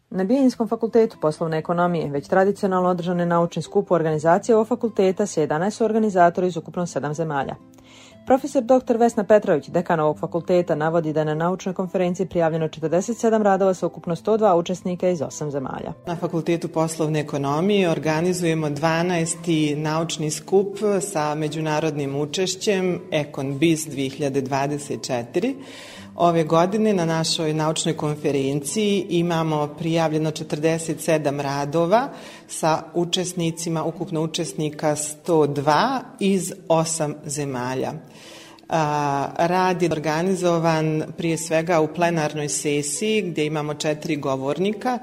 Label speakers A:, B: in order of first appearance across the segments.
A: Na Bijeljinskog fakultetu poslovne ekonomije već tradicionalno održane naučni skup organizacije ovog fakulteta sa 11 organizatora iz ukupno 7 zemalja. Profesor dr. Vesna Petrović, dekan ovog fakulteta, navodi da je na naučnoj konferenciji prijavljeno 47 radova sa ukupno 102 učesnika iz 8 zemalja.
B: Na Fakultetu poslovne ekonomije organizujemo 12. naučni skup sa međunarodnim učešćem Econ Biz 2024. Ove godine na našoj naučnoj konferenciji imamo prijavljeno 47 radova sa učesnicima, ukupno učesnika 102 iz 8 zemalja. Rad je organizovan prije svega u plenarnoj sesiji gdje imamo 4 govornika.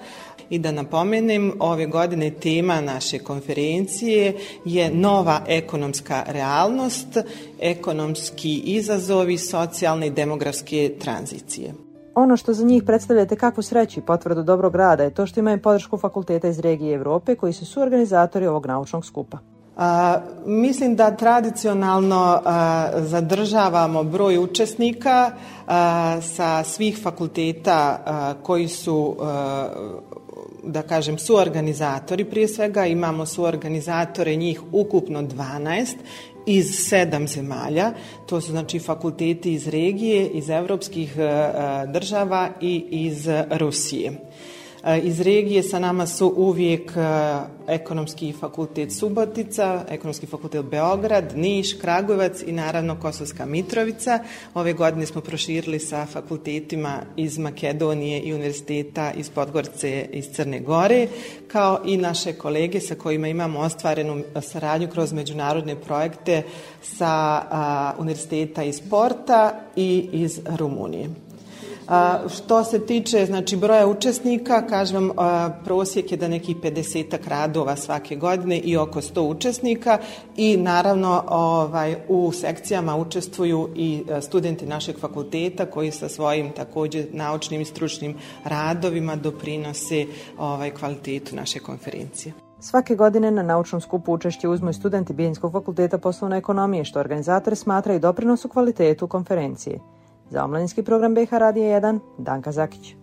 B: I da napomenem, ove godine tema naše konferencije je nova ekonomska realnost, ekonomski izazovi, socijalne i demografske tranzicije.
A: Ono što za njih predstavljate kakvu sreću i potvrdu dobrog rada je to što imaju podršku fakulteta iz regije Evrope koji su suorganizatori ovog naučnog skupa.
B: Mislim da tradicionalno zadržavamo broj učesnika sa svih fakulteta koji su da kažem suorganizatori. Prije svega imamo suorganizatore, njih ukupno 12 iz 7 zemalja. To su znači fakulteti iz regije, iz evropskih država i iz Rusije. Iz regije sa nama su uvijek Ekonomski fakultet Subotica, Ekonomski fakultet Beograd, Niš, Kragujevac i naravno Kosovska Mitrovica. Ove godine smo proširili sa fakultetima iz Makedonije i univerziteta iz Podgorice iz Crne Gore, kao i naše kolege sa kojima imamo ostvarenu saradnju kroz međunarodne projekte sa univerziteta iz Porta i iz Rumunije. Što se tiče znači broja učesnika, kažem prosjek je da nekih 50 radova svake godine i oko 100 učesnika i naravno u sekcijama učestvuju i studenti našeg fakulteta koji sa svojim također naučnim i stručnim radovima doprinose kvalitetu naše konferencije.
A: Svake godine na naučnom skupu učešće uzmu i studenti Bijeljinskog fakulteta poslovne ekonomije, što organizatori smatraju doprinos u kvalitetu konferencije. Za omladinski program BiH Radija 1, Danka Zakić.